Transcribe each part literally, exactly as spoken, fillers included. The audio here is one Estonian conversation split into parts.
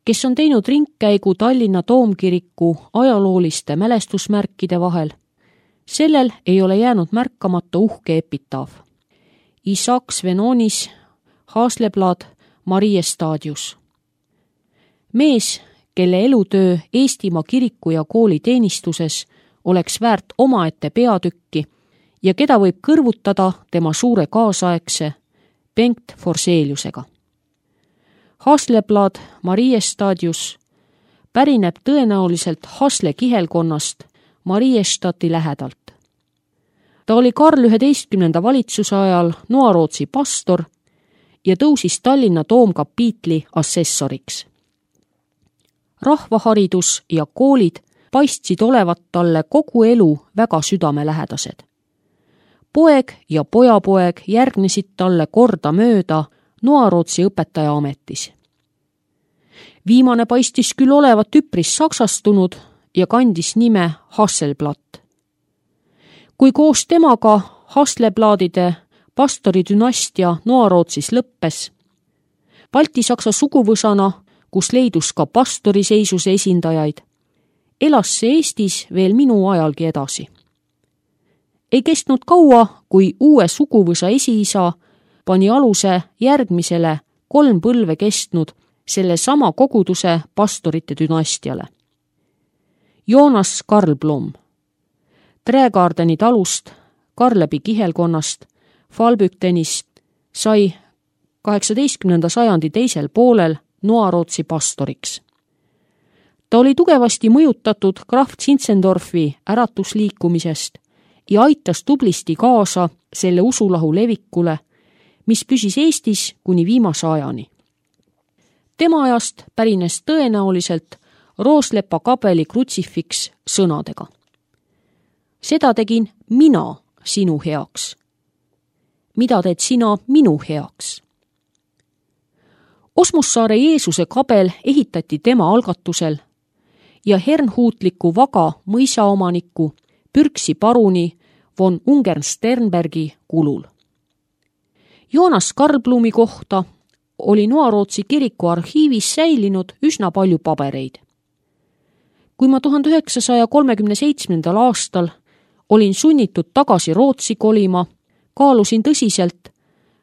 kes on teinud ringkäigu Tallinna Toomkiriku ajalooliste mälestusmärkide vahel. Sellel ei ole jäänud märkamata uhke epitaaf. Isaac Svenonis, Hasleblad, Mariestadius. Mees, kelle elutöö Eestimaa kiriku ja kooli teenistuses oleks väärt omaette peatükki ja keda võib kõrvutada tema suure kaasaegse Bengt Forseliusega. Hasleblad, Mariestadius pärineb tõenäoliselt Hasle kihelkonnast Mariestati lähedalt. Ta oli Karl üheteistkümnenda valitsuse ajal Noarootsi pastor ja tõusis Tallinna Toomkapiitli assessoriks. Rahvaharidus ja koolid paistsid olevat talle kogu elu väga südamelähedased. Poeg ja pojapoeg järgnesid talle korda mööda Noarootsi õpetaja ametis. Viimane paistis küll olevat üpris saksastunud ja kandis nime Hasselblatt. Kui koos temaga Haslebladide pastoridünastia Noarootsis lõppes, baltisaksa suguvõsana, kus leidus ka pastoriseisuse esindajaid, elas see Eestis veel minu ajalgi edasi. Ei kestnud kaua, kui uue suguvõsa esiisa pani aluse järgmisele kolm põlve kestnud selle sama koguduse pastorite dünastiale. Joonas Karlblom, Trägardeni talust, Karlebi kihelkonnast, Falbüktenist sai kaheksateistkümnenda sajandi teisel poolel Noarootsi pastoriks. Ta oli tugevasti mõjutatud Graf Zinzendorfi äratusliikumisest ja aitas tublisti kaasa selle usulahu levikule, mis püsis Eestis kuni viimase ajani. Tema ajast pärines tõenäoliselt Rooslepa kabeli krutsifiks sõnadega. Seda tegin mina sinu heaks. Mida teed sina minu heaks? Osmussaare Jeesuse kabel ehitati tema algatusel ja hernhuutliku vaga mõisaomaniku Pürksi paruni von Ungern-Sternbergi kulul. Joonas Karlblumi kohta oli Noarootsi kiriku arhiivis säilinud üsna palju pabereid. Kui ma tuhande üheksasaja kolmekümne seitsmendal aastal olin sunnitud tagasi Rootsi kolima, kaalusin tõsiselt,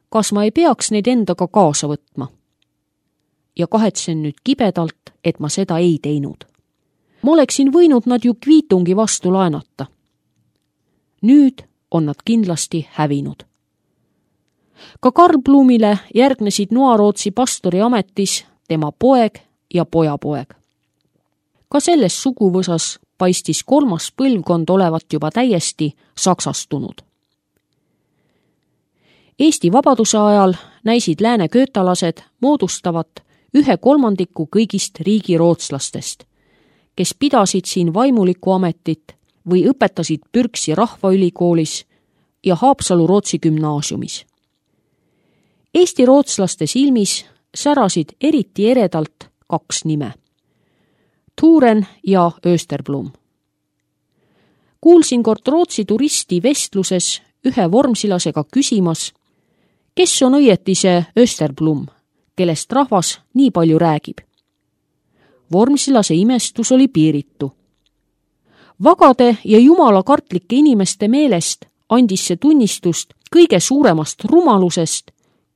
kas ma ei peaks neid endaga kaasa võtma. Ja kahetsen nüüd kibedalt, et ma seda ei teinud. Ma oleksin võinud nad ju Kviitungi vastu laenata. Nüüd on nad kindlasti hävinud. Ka Karlblumile järgnesid Noarootsi pastori ametis tema poeg ja pojapoeg. Ka selles suguvõsas paistis kolmas põlvkond olevat juba täiesti saksastunud. Eesti vabaduse ajal näisid lääne köötalased moodustavat ühe kolmandiku kõigist riigirootslastest, kes pidasid siin vaimulikku ametit või õpetasid Pürksi rahvaülikoolis ja Haapsalu Rootsi gümnaasiumis. Eesti rootslaste silmis särasid eriti eredalt kaks nime, Thuren ja Österblom. Kuulsin kord Rootsi turisti vestluses ühe vormsilasega küsimas, kes on õieti see Österblom, kellest rahvas nii palju räägib. Vormsilase imestus oli piiritu. Vagade ja jumalakartlike inimeste meelest andis see tunnistust kõige suuremast rumalusest,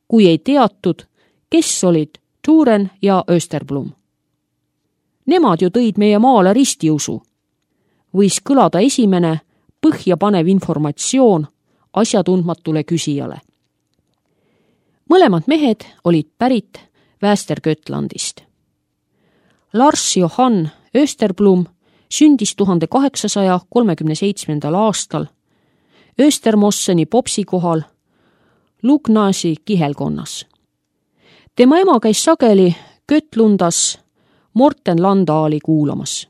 kui ei teatud, kes olid Thuren ja Österblom. Nemad ju tõid meie maale ristiusu. Võis kõlada esimene põhjapanev informatsioon asjatundmatule küsijale. Mõlemad mehed olid pärit Västergötlandist. Lars Johann Österblom sündis tuhande kaheksasaja kolmekümne seitsmendal aastal Östermosseni popsi kohal Lugnasi kihelkonnas. Tema ema käis sageli Götlundas Morten Landaali kuulamas.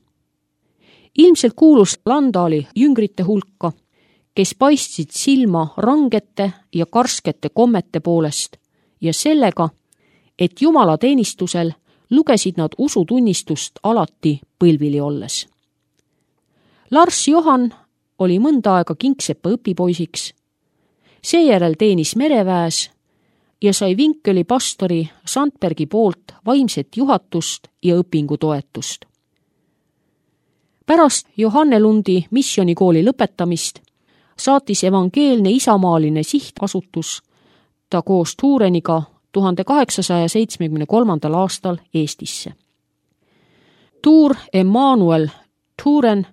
Ilmselt kuulus Landaali jüngrite hulka, kes paistsid silma rangete ja karskete kommete poolest ja sellega, et Jumala teenistusel lugesid nad usutunnistust alati põlvili olles. Lars Johann oli mõnda aega Kingsepa õpipoisiks, seejärel teenis mereväes ja sai Vinkeli pastori Sandbergi poolt vaimset juhatust ja õpingutoetust. Pärast Johannelundi missionikooli lõpetamist saatis evangeelne isamaaline sihtasutus ta koos Tureniga tuhande kaheksasaja seitsmekümne kolmandal aastal Eestisse. Tuur Emmanuel Turen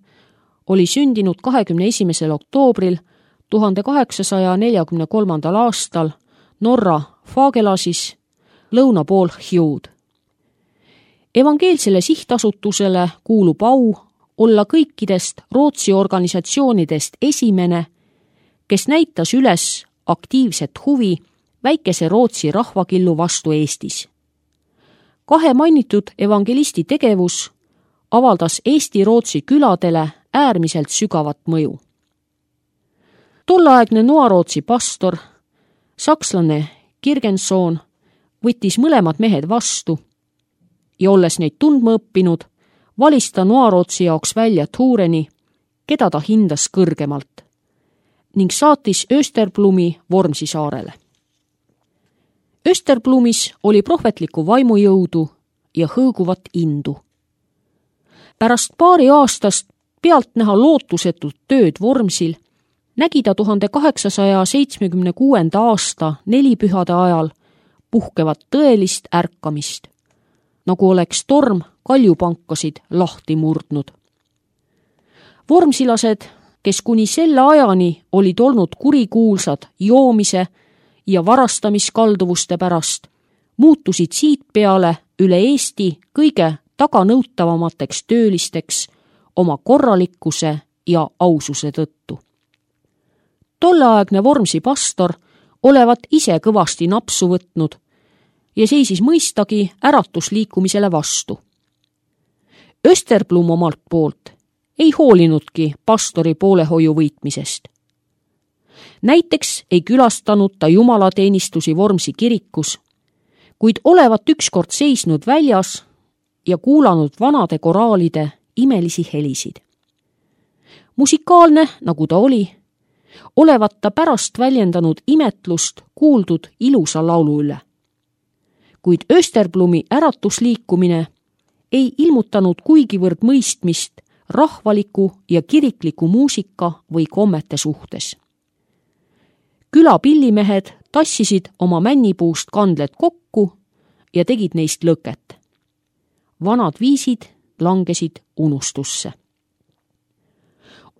oli sündinud kahekümne esimesel oktoobril tuhande kaheksasaja neljakümne kolmandal aastal Norra Fagelasis lõuna pool Hjud. Evangeelsele sihtasutusele kuulub au olla kõikidest Rootsi organisatsioonidest esimene, kes näitas üles aktiivset huvi väikese Rootsi rahvakillu vastu Eestis. Kahe mainitud evangelisti tegevus avaldas Eesti-Rootsi küladele äärmiselt sügavat mõju. Tolleaegne Noa-Rootsi pastor, sakslane Kirgensoon, võttis mõlemad mehed vastu ja olles neid tundma õppinud, valis ta Noa-Rootsi jaoks välja Tureni, keda ta hindas kõrgemalt, ning saatis Österblumi Vormsi saarele. Österblumis oli prohvetlikku vaimujõudu ja hõõguvat indu. Pärast paari aastast pealt näha lootusetut tööd Vormsil, nägi ta tuhande kaheksasaja seitsmekümne kuuenda aasta nelipühade ajal puhkevat tõelist ärkamist, nagu oleks torm kaljupankasid lahti murdnud. Vormsilased, kes kuni selle ajani olid olnud kurikuulsad joomise ja varastamiskalduvuste pärast, muutusid siit peale üle Eesti kõige taganõutavamateks töölisteks oma korralikkuse ja aususe tõttu. Tolleaegne Vormsi pastor olevat ise kõvasti napsu võtnud ja seisis mõistagi äratusliikumisele vastu. Österblum omalt poolt ei hoolinudki pastori poolehoiu võitmisest. Näiteks ei külastanud ta jumalateenistusi Vormsi kirikus, kuid olevat ükskord seisnud väljas ja kuulanud vanade koraalide imelisi helisid. Musikaalne, nagu ta oli, olevat ta pärast väljendanud imetlust kuuldud ilusa laulu üle. Kuid Österblumi äratusliikumine ei ilmutanud kuigivõrd mõistmist rahvaliku ja kirikliku muusika või kommete suhtes. Küla pillimehed tassisid oma männipuust kandled kokku ja tegid neist lõket. Vanad viisid langesid unustusse.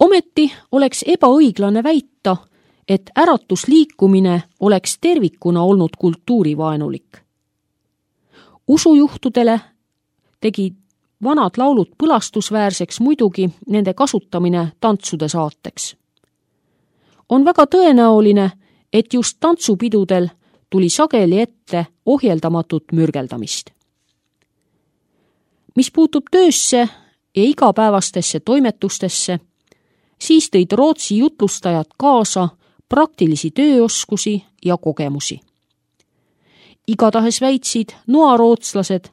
Ometi oleks ebaõiglane väita, et äratusliikumine oleks tervikuna olnud kultuurivaenulik. Usujuhtudele tegi vanad laulud põlastusväärseks muidugi nende kasutamine tantsude saateks. On väga tõenäoline, et just tantsupidudel tuli sageli ette ohjeldamatut mürgeldamist. Mis puutub töösse ja igapäevastesse toimetustesse, siis tõid Rootsi jutlustajad kaasa praktilisi tööoskusi ja kogemusi. Igatahes väitsid noarootslased,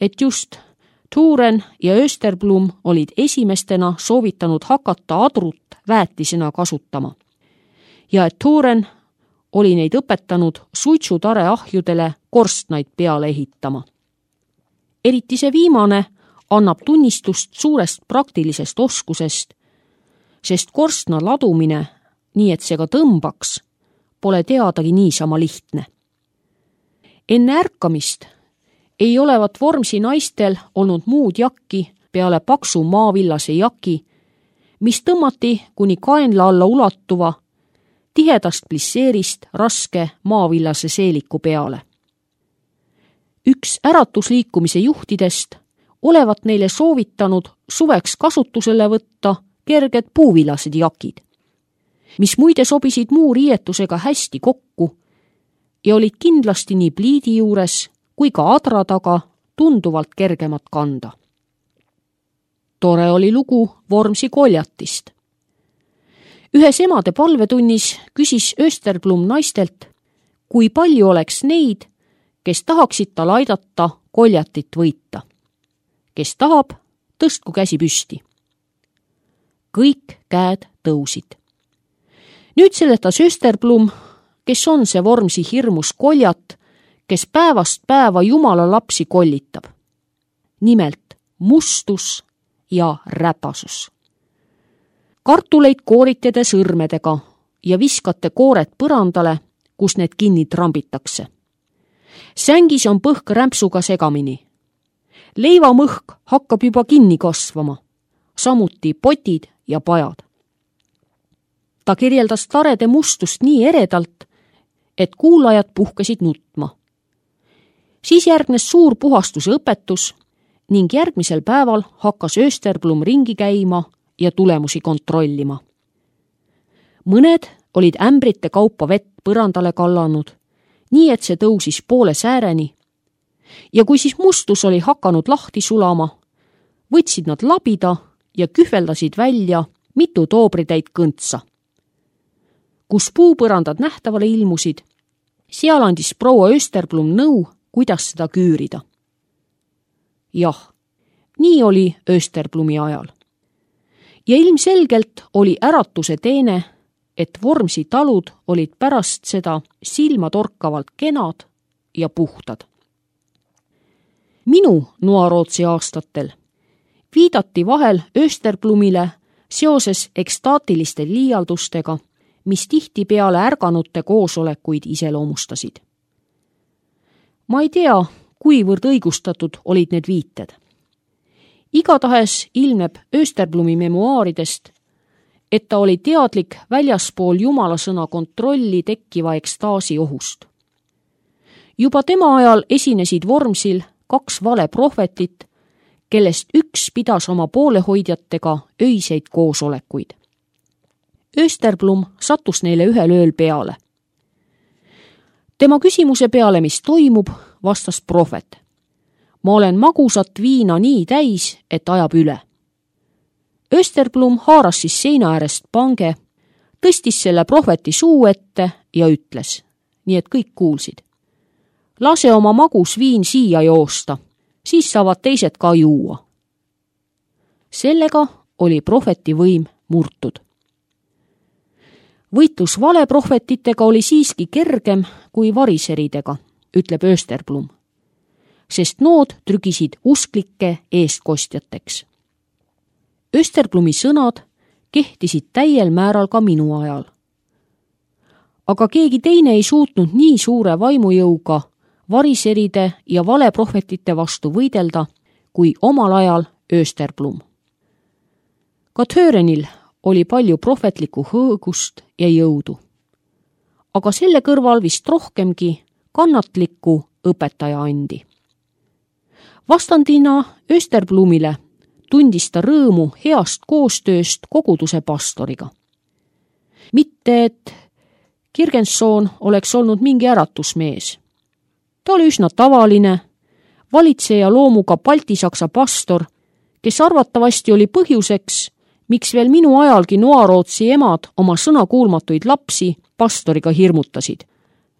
et just Turen ja Österblum olid esimestena soovitanud hakata adrut väetisena kasutama ja et Turen oli neid õpetanud suitsutare ahjudele korstnaid peale ehitama. Eriti see viimane annab tunnistust suurest praktilisest oskusest, sest korstna ladumine, nii et see ka tõmbaks, pole teadagi niisama lihtne. Enne ärkamist ei olevat Vormsi naistel olnud muud jakki peale paksu maavillase jaki, mis tõmmati kuni kaenla alla ulatuva tihedast plisseerist raske maavillase seeliku peale. Üks äratusliikumise juhtidest olevat neile soovitanud suveks kasutusele võtta kerged puuvillased jakid, mis muide sobisid muu riietusega hästi kokku ja olid kindlasti nii pliidi juures kui ka adra taga tunduvalt kergemad kanda. Tore oli lugu Vormsi koljatist. Ühes emade palvetunnis küsis Österblum naistelt, kui palju oleks neid, kes tahaksid tal aidata koljatit võita. Kes tahab, tõstku käsi püsti. Kõik käed tõusid. Nüüd seletas Österblum, kes on see Vormsi hirmus koljat, kes päevast päeva Jumala lapsi kollitab. Nimelt mustus ja räpasus. Kartuleid kooritada sõrmedega ja viskate koored põrandale, kus need kinni trambitakse. Sängis on põhk rämpsuga segamini. Leivamõhk hakkab juba kinni kasvama, samuti potid ja pajad. Ta kirjeldas tarede mustust nii eredalt, et kuulajad puhkesid nutma. Siis järgnes suur puhastuse õpetus ning järgmisel päeval hakkas Österblum ringi käima ja tulemusi kontrollima. Mõned olid ämbrite kaupa vett põrandale kallanud, nii et see tõusis poole sääreni, ja kui siis mustus oli hakanud lahti sulama, võtsid nad labida ja kühveldasid välja mitu toobritäit kõntsa. Kus puupõrandad nähtavale ilmusid, seal andis proua Österblum nõu, kuidas seda küürida. Jah, nii oli Österblumi ajal. Ja ilmselgelt oli äratuse teene, et Vormsi talud olid pärast seda silmatorkavalt kenad ja puhtad. Minu Noarootsi aastatel viidati vahel Österblumile seoses ekstaatiliste liialdustega, mis tihtipeale ärganute koosolekuid iseloomustasid. Ma ei tea, kuivõrd õigustatud olid need viited. Igatahes ilmneb Österblumi memuaaridest, et ta oli teadlik väljaspool jumalasõna kontrolli tekkiva ekstaasi ohust. Juba tema ajal esinesid Vormsil kaks valeprohvetit, kellest üks pidas oma poolehoidjatega öiseid koosolekuid. Österblum sattus neile ühel ööl peale. Tema küsimuse peale, mis toimub, vastas prohvet. Ma olen magusat viina nii täis, et ajab üle. Österblum haaras siis seina äärest pange, tõstis selle prohveti suu ette ja ütles, nii et kõik kuulsid. Lase oma magus viin siia joosta, siis saavad teised ka juua. Sellega oli prohveti võim murtud. Võitlus valeprohvetitega oli siiski kergem kui variseridega, ütleb Österblum, sest nood trügisid usklikke eestkostjateks. Österblumi sõnad kehtisid täiel määral ka minu ajal. Aga keegi teine ei suutnud nii suure vaimujõuga variseride ja valeprohvetite vastu võidelda kui omal ajal Österblum. Ka Törenil oli palju prohvetlikku hõõgust ja jõudu. Aga selle kõrval vist rohkemgi kannatlikku õpetaja andi. Vastandina Österblumile tundis ta rõõmu heast koostööst koguduse pastoriga. Mitte, et Kirgensoon oleks olnud mingi äratusmees. Ta oli üsna tavaline, valitseja loomuga baltisaksa pastor, kes arvatavasti oli põhjuseks, miks veel minu ajalgi Noarootsi emad oma sõnakuulmatuid lapsi pastoriga hirmutasid,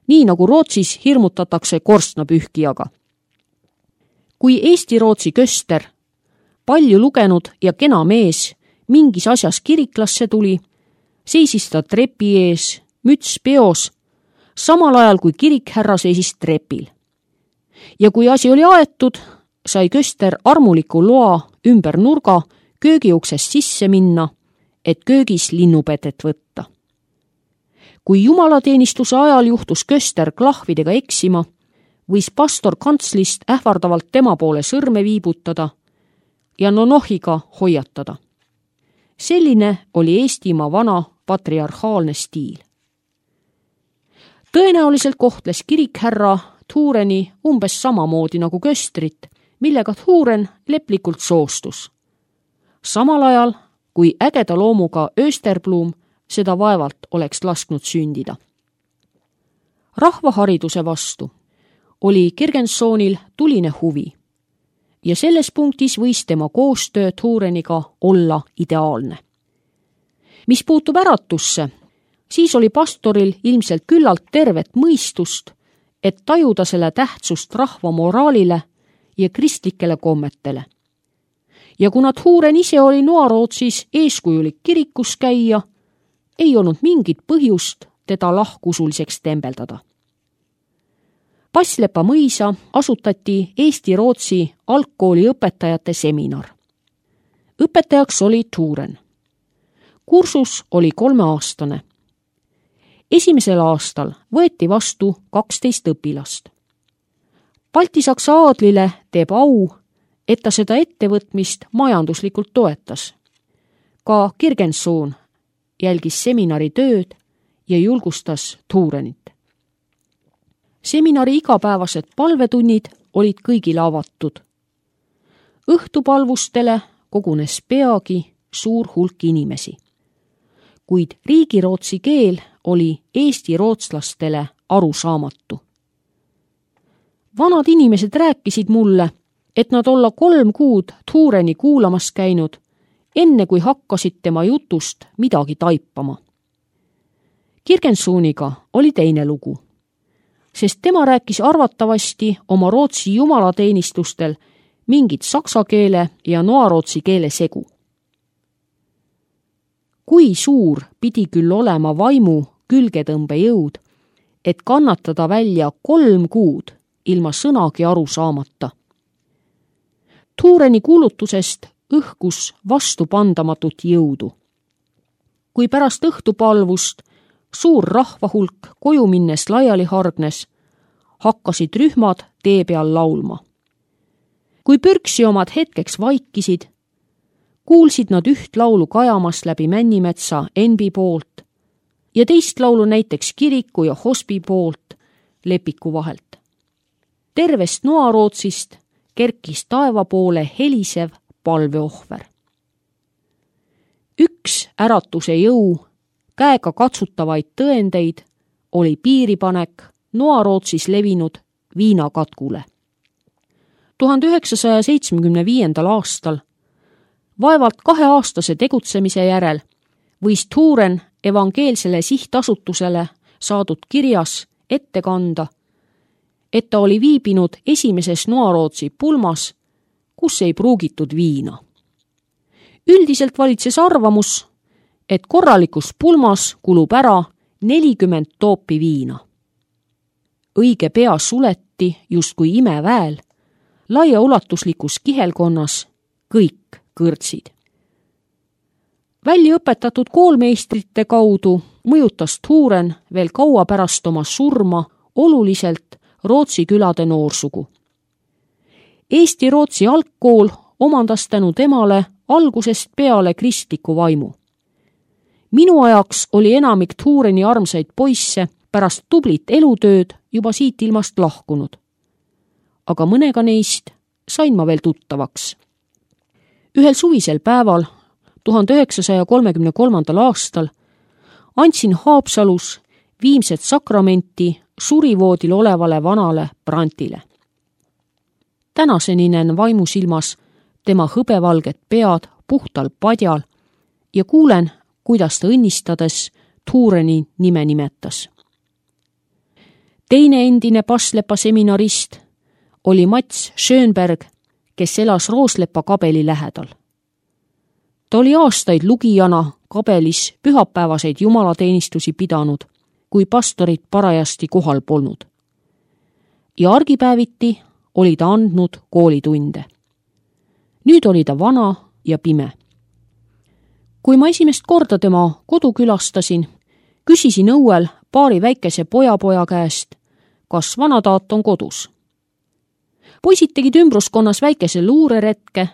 nii nagu Rootsis hirmutatakse korstnapühkijaga. Kui Eesti-Rootsi köster, palju lugenud ja kena mees, mingis asjas kiriklasse tuli, seisis ta trepi ees, müts peos, samal ajal kui kirikhärra seisis trepil. Ja kui asi oli aetud, sai köster armuliku loa ümber nurga köögiuksest sisse minna, et köögis linnupetet võtta. Kui jumalateenistuse ajal juhtus köster klahvidega eksima, võis pastor kantslist ähvardavalt tema poole sõrme viibutada ja nonohiga hoiatada. Selline oli Eestimaa vana patriarhaalne stiil. Tõenäoliselt kohtles kirikhärra Thureni umbes samamoodi nagu köstrit, millega Thuren leplikult soostus. Samal ajal, kui ägeda loomuga Österblum seda vaevalt oleks lasknud sündida. Rahvahariduse vastu oli Kirgensoonil tuline huvi ja selles punktis võis tema koostöö Thureniga olla ideaalne. Mis puutub äratusse, siis oli pastoril ilmselt küllalt tervet mõistust, et tajuda selle tähtsust rahva moraalile ja kristlikele kommetele. Ja kuna Thuren ise oli Noarootsis eeskujulik kirikus käia, ei olnud mingit põhjust teda lahkusuliseks tembeldada. Passlepa mõisa asutati Eesti-Rootsi algkooli õpetajate seminar. Õpetajaks oli Thuren. Kursus oli kolmeaastane. Esimesel aastal võeti vastu kaksteist õpilast. Balti-Saksa aadlile teeb au, et ta seda ettevõtmist majanduslikult toetas. Ka Kirgensoon jälgis seminari tööd ja julgustas Thurenit. Seminari igapäevased palvetunnid olid kõigile avatud. Õhtupalvustele kogunes peagi suur hulk inimesi. Kuid riigirootsi keel oli eesti rootslastele arusaamatu. Vanad inimesed rääkisid mulle, et nad olla kolm kuud Thureni kuulamas käinud, enne kui hakkasid tema jutust midagi taipama. Kirgensooniga oli teine lugu, sest tema rääkis arvatavasti oma rootsi jumalateenistustel mingit saksa keele ja noarootsi keele segu. Kui suur pidi küll olema vaimu külgetõmbejõud, et kannatada välja kolm kuud ilma sõnagi aru saamata. Thureni kuulutusest õhkus vastupandamatut jõudu. Kui pärast õhtupalvust suur rahvahulk koju minnes laiali hargnes, hakkasid rühmad tee peal laulma. Kui pürksi omad hetkeks vaikisid, kuulsid nad üht laulu kajamas läbi Männimetsa Enbi poolt ja teist laulu näiteks kiriku ja hospi poolt Lepiku vahelt. Tervest noarootsist kerkis taeva poole helisev palveohver. Üks äratuse jõu, käega katsutavaid tõendeid oli piiripanek noarootsis levinud viinakatkule. tuhande üheksasaja seitsmekümne viiendal aastal, vaevalt kaheaastase tegutsemise järel, võis Thuren evangeelsele sihtasutusele saadud kirjas ette kanda, et ta oli viibinud esimeses noarootsi pulmas, kus ei pruugitud viina. Üldiselt valitses arvamus, et korralikus pulmas kulub ära nelikümmend toopi viina. Õige pea suleti justkui imeväel, laiaulatuslikus kihelkonnas kõik kõrtsid. Välja õpetatud koolmeistrite kaudu mõjutas Thuren veel kaua pärast oma surma oluliselt Rootsi külade noorsugu. Eesti-Rootsi algkool omandas tänu temale algusest peale kristliku vaimu. Minu ajaks oli enamik Thureni armsaid poisse pärast tublit elutööd juba siit ilmast lahkunud. Aga mõnega neist sain ma veel tuttavaks. Ühel suvisel päeval, tuhande üheksasaja kolmekümne kolmandal aastal, andsin Haapsalus viimset sakramenti surivoodil olevale vanale Brantile. Tänaseni näen vaimusilmas tema hõbevalget pead puhtal padjal ja kuulen, kuidas ta õnnistades Thureni nime nimetas. Teine endine Passlepa seminarist oli Mats Schönberg, kes elas Rooslepa kabeli lähedal. Ta oli aastaid lugijana kabelis pühapäevaseid jumalateenistusi pidanud, kui pastorid parajasti kohal polnud. Ja argipäeviti oli ta andnud koolitunde. Nüüd oli ta vana ja pime. Kui ma esimest korda tema kodu külastasin, küsisin õuel paari väikese pojapoja käest, kas vanataat on kodus. Poisid tegid ümbruskonnas väikese luureretke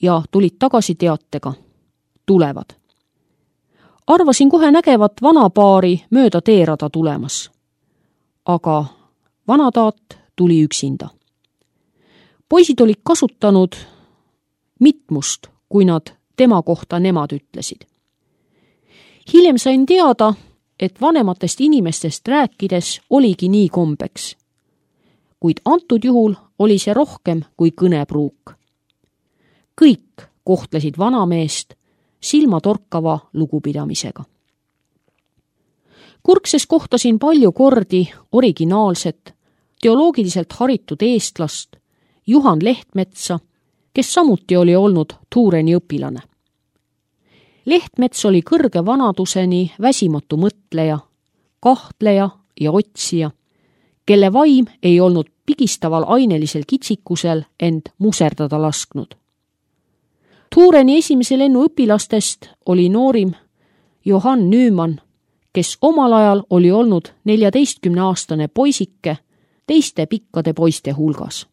ja tulid tagasi teatega. Tulevad. Arvasin kohe nägevat vanapaari mööda teerada tulemas. Aga vanataat tuli üksinda. Poisid olid kasutanud mitmust, kui nad tema kohta nemad ütlesid. Hiljem sain teada, et vanematest inimestest rääkides oligi nii kombeks. Kuid antud juhul oli see rohkem kui kõnepruuk. Kõik kohtlesid vanameest silmatorkava lugupidamisega. Kurkses kohtasin palju kordi originaalset, teoloogiliselt haritud eestlast Juhan Lehtmetsa, kes samuti oli olnud Thureni õpilane. Lehtmets oli kõrge vanaduseni väsimatu mõtleja, kahtleja ja otsija, kelle vaim ei olnud pigistaval ainelisel kitsikusel end muserdada lasknud. Tureni esimese lennu õpilastest oli noorim Johann Nüümann, kes omal ajal oli olnud neljateistkümneaastane poisike teiste pikkade poiste hulgas.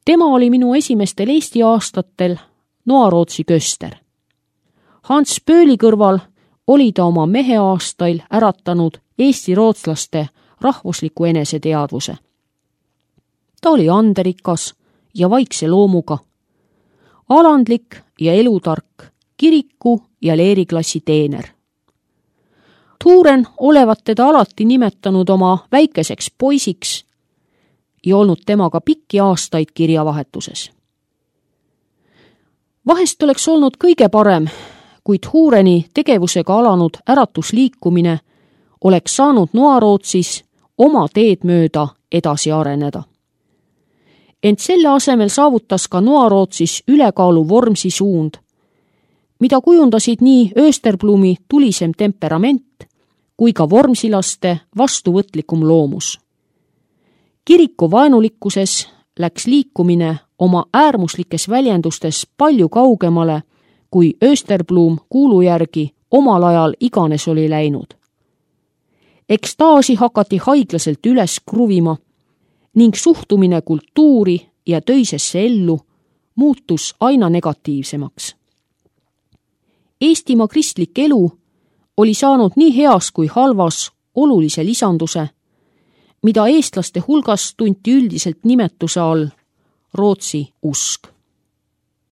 Tema oli minu esimestel Eesti aastatel Noarootsi köster. Hans Pööli kõrval oli ta oma meheaastail äratanud eesti rootslaste rahvusliku eneseteadvuse. Ta oli anderikas ja vaikse loomuga, alandlik ja elutark, kiriku ja leeriklassi teener. Turen olevat teda alati nimetanud oma väikeseks poisiks ja olnud temaga pikki aastaid kirjavahetuses. Vahest oleks olnud kõige parem, kuid Tureni tegevusega alanud äratusliikumine oleks saanud Noarootsis oma teed mööda edasi areneda. Ent selle asemel saavutas ka Noarootsis ülekaalu Vormsi suund, mida kujundasid nii Österblumi tulisem temperament kui ka vormsilaste vastuvõtlikum loomus. Kiriku vaenulikkuses läks liikumine oma äärmuslikes väljendustes palju kaugemale, kui Österblum kuulu järgi omal ajal iganes oli läinud. Ekstaasi hakati haiglaselt üles kruvima ning suhtumine kultuuri ja töisesse ellu muutus aina negatiivsemaks. Eestimaa kristlik elu oli saanud nii heas kui halvas olulise lisanduse, mida eestlaste hulgas tunti üldiselt nimetuse all Rootsi usk.